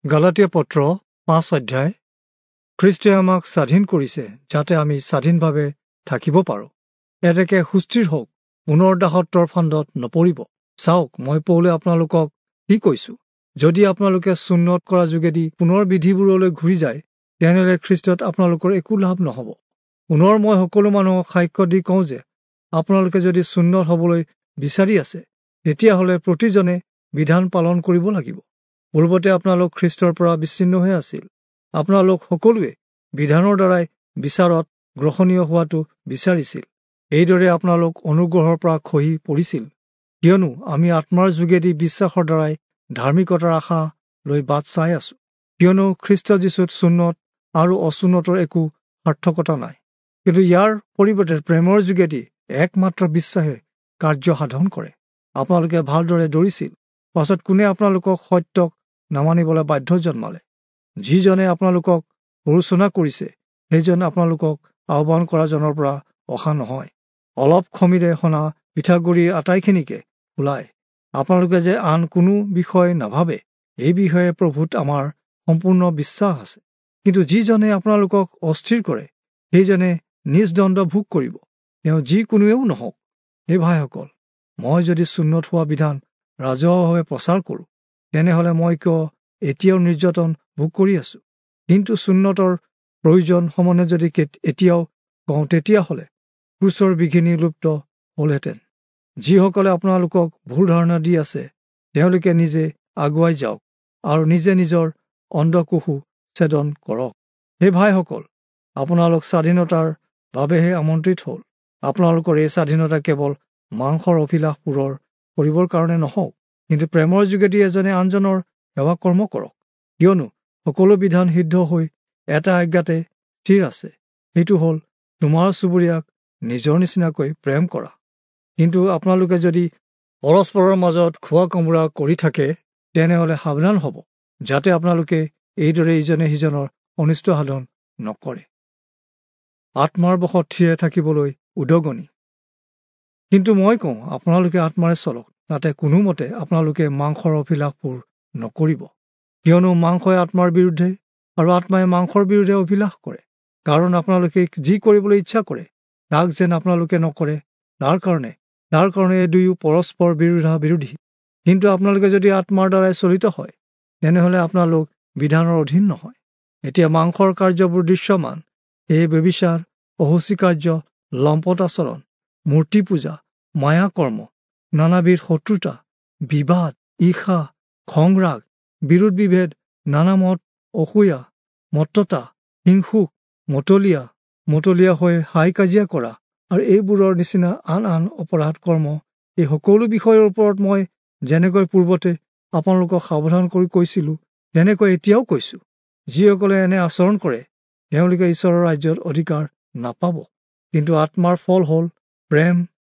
গালাতীয়া পত্ৰ 5 অধ্যায়। খ্ৰীষ্টই আমাক স্বাধীন কৰিছে যাতে আমি স্বাধীনভাৱে থাকিব পাৰোঁ। এতেকে সুস্থিৰ হওক, পুনৰ দাসত্বৰ ফান্দত নপৰিব। চাওক, মই পৌলে আপোনালোকক কি কৈছোঁ, যদি আপোনালোকে চুন্নত কৰা যোগেদি পুনৰ বিধিবোৰলৈ ঘূৰি যায়, তেনেহ'লে খ্ৰীষ্টত আপোনালোকৰ একো লাভ নহ'ব। পুনৰ মই সকলো মানুহক সাক্ষ্য দি কওঁ যে আপোনালোকে যদি চুন্নত হ'বলৈ বিচাৰি আছে, তেতিয়াহ'লে প্ৰতিজনে বিধান পালন কৰিব লাগিব। পূৰ্বতে আপোনালোক খ্ৰীষ্টৰ পৰা বিচ্ছিন্ন হৈ আছিল। আপোনালোক সকলোৱে বিধানৰ দ্বাৰাই বিচাৰত গ্ৰহণীয় হোৱাটো বিচাৰিছিল। এইদৰে আপোনালোক অনুগ্ৰহৰ পৰা খহি পৰিছিল। কিয়নো আমি আত্মাৰ যোগেদি বিশ্বাসৰ দ্বাৰাই ধাৰ্মিকতাৰ আশা লৈ বাট চাই আছো। কিয়নো খ্ৰীষ্ট যীশুত চুন্নত আৰু অচুন্নতৰ একো সাৰ্থকতা নাই, কিন্তু ইয়াৰ পৰিৱৰ্তে প্ৰেমৰ যোগেদি একমাত্ৰ বিশ্বাসে কাৰ্য সাধন কৰে। আপোনালোকে ভালদৰে দৌৰিছিল, পাছত কোনে আপোনালোকক সত্যক নামানিবলৈ বাধ্য জন্মালে? যিজনে আপোনালোকক প্ৰৰোচনা কৰিছে, সেইজন আপোনালোকক আহ্বান কৰাজনৰ পৰা অহা নহয়। অলপ খমিৰে সনা পিঠাগুড়ি আটাইখিনিকে ওলায়। আপোনালোকে যে আন কোনো বিষয় নাভাবে, এই বিষয়ে প্ৰভুত আমাৰ সম্পূৰ্ণ বিশ্বাস আছে। কিন্তু যিজনে আপোনালোকক অস্থিৰ কৰে, সেইজনে নিজ দণ্ড ভোগ কৰিব, তেওঁ যিকোনোৱেও নহওক। হে ভাইসকল, মই যদি চুন্নত হোৱা বিধান ৰাজহুৱাভাৱে প্ৰচাৰ কৰোঁ, তেনেহ'লে মই কিয় এতিয়াও নিৰ্যাতন ভোগ কৰি আছো? কিন্তু চুন্নতৰ প্ৰয়োজন সম্বন্ধে যদি এতিয়াও কওঁ, তেতিয়াহ'লে ক্ৰুচৰ বিঘিনি লুপ্ত হ'লহেঁতেন। যিসকলে আপোনালোকক ভুল ধাৰণা দি আছে, তেওঁলোকে নিজে আগুৱাই যাওক আৰু নিজে নিজৰ অণ্ডকোষো ছেদন কৰক। হে ভাইসকল, আপোনালোক স্বাধীনতাৰ বাবেহে আমন্ত্ৰিত হ'ল। আপোনালোকৰ এই স্বাধীনতা কেৱল মাংসৰ অভিলাষ পূৰৰ কৰিবৰ কাৰণে নহওক, কিন্তু প্ৰেমৰ যোগেদি এজনে আনজনৰ সেৱা কৰ্ম কৰক। কিয়নো সকলো বিধান সিদ্ধ হৈ এটা আজ্ঞাতে স্থিৰ আছে, সেইটো হ'ল তোমাৰ চুবুৰীয়াক নিজৰ নিচিনাকৈ প্ৰেম কৰা। কিন্তু আপোনালোকে যদি পৰস্পৰৰ মাজত খোৱা কামোৰা কৰি থাকে, তেনেহ'লে সাৱধান হ'ব, যাতে আপোনালোকে এইদৰে ইজনে সিজনৰ অনিষ্ট সাধন নকৰে। আত্মাৰ বশত থিৰে থাকিবলৈ উদগনি। কিন্তু মই কওঁ, আপোনালোকে আত্মাৰে চলক, তাতে কোনোমতে আপোনালোকে মাংসৰ অভিলাষবোৰ নকৰিব। কিয়নো মাংসই আত্মাৰ বিৰুদ্ধে আৰু আত্মাই মাংসৰ বিৰুদ্ধে অভিলাষ কৰে। কাৰণ আপোনালোকে যি কৰিবলৈ ইচ্ছা কৰে, তাক যেন আপোনালোকে নকৰে, তাৰ কাৰণে এই দুয়ো পৰস্পৰ বিৰোধা বিৰোধী। কিন্তু আপোনালোকে যদি আত্মাৰ দ্বাৰাই চলিত হয়, তেনেহ'লে আপোনালোক বিধানৰ অধীন নহয়। এতিয়া মাংসৰ কাৰ্যবোৰ দৃশ্যমান, এই ব্যভিচাৰ, অশুচি কাৰ্য, লম্পট আচৰণ, মূৰ্তি পূজা, মায়াকৰ্ম, নানাবিধ শত্ৰুতা, বিবাদ, ঈৰ্ষা, খংৰাগ, বিৰোধ বিভেদ, নানা মত, অসূয়া, মত্ততা, হিংসুক, মতলীয়া, মতলীয়া হৈ হাই কাজিয়া কৰা আৰু এইবোৰৰ নিচিনা আন আন অপৰাধ কৰ্ম। এই সকলো বিষয়ৰ ওপৰত মই যেনেকৈ পূৰ্বতে আপোনালোকক সাৱধান কৰি কৈছিলোঁ, তেনেকৈ এতিয়াও কৈছোঁ। যিসকলে এনে আচৰণ কৰে, তেওঁলোকে ঈশ্বৰৰ ৰাজ্যত অধিকাৰ নাপাব। কিন্তু আত্মাৰ ফল হ'ল প্ৰেম,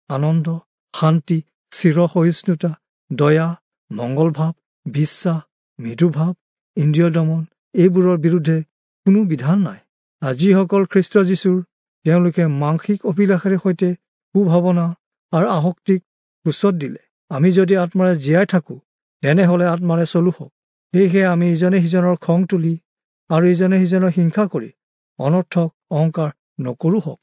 আনন্দ, শান্তি, চিৰসহিষ্ণুতা, দয়া, মংগলভাৱ, বিশ্বাস, মৃদুভাৱ, ইন্দ্ৰিয় দমন। এইবোৰৰ বিৰুদ্ধে কোনো বিধান নাই। আৰু যিসকল খ্ৰীষ্ট যীশুৰ, তেওঁলোকে মাংসিক অভিলাষেৰে সৈতে কুভাৱনা আৰু আসক্তিক ক্ৰুচত দিলে। আমি যদি আত্মাৰে জীয়াই থাকোঁ, তেনেহ'লে আত্মাৰে চলো হওক। সেয়েহে আমি ইজনে সিজনৰ খং তুলি আৰু ইজনে সিজনৰ হিংসা কৰি অনৰ্থক অহংকাৰ নকৰোঁ হওক।